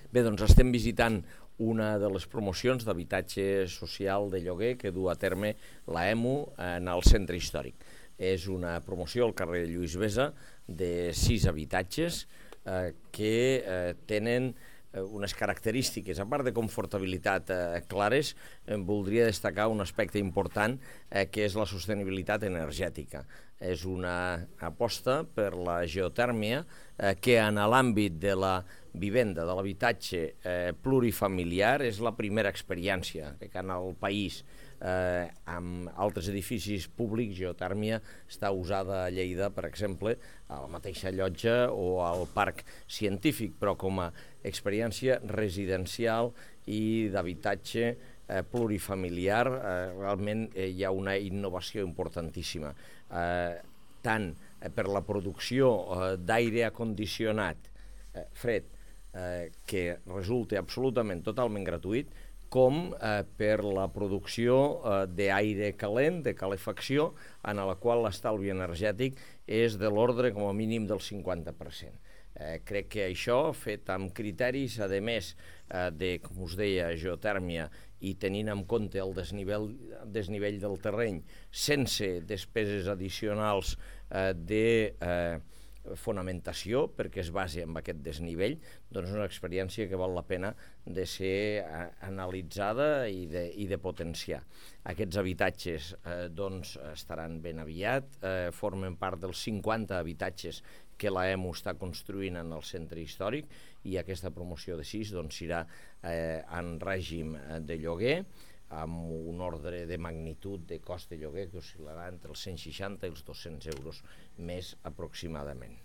Bé, doncs estem visitant una de les promocions d'habitatge social de lloguer que du a terme l'EMU en el centre històric. És una promoció al carrer Lluís Besa de 6 habitatges que tenen unes característiques, a part de confortabilitat clares, voldria destacar un aspecte important que és la sostenibilitat energètica. És una aposta per la geotèrmia que en l'àmbit de la vivenda, de l'habitatge plurifamiliar, és la primera experiència que en el país amb altres edificis públics, geotèrmia està usada a Lleida, per exemple, a la mateixa Llotja o al Parc Científic, però com a experiència residencial i d'habitatge plurifamiliar, realment hi ha una innovació importantíssima, tant per la producció d'aire condicionat fred, que resulta absolutament totalment gratuït, com per la producció d'aire calent, de calefacció, en la qual l'estalvi energètic és de l'ordre com a mínim del 50%. Crec que això, fet amb criteris, a més de, com us deia, geotèrmia i tenint en compte el desnivell del terreny, sense despeses addicionals de fonamentació, perquè es basa en aquest desnivell, doncs és una experiència que val la pena de ser analitzada i de potenciar. Aquests habitatges doncs estaran ben aviat, formen part dels 50 habitatges que l'EMU està construint en el centre històric, i aquesta promoció de 6 doncs serà en règim de lloguer, amb un ordre de magnitud de cost de lloguer que oscil·larà entre els 160 i els 200 euros més aproximadament.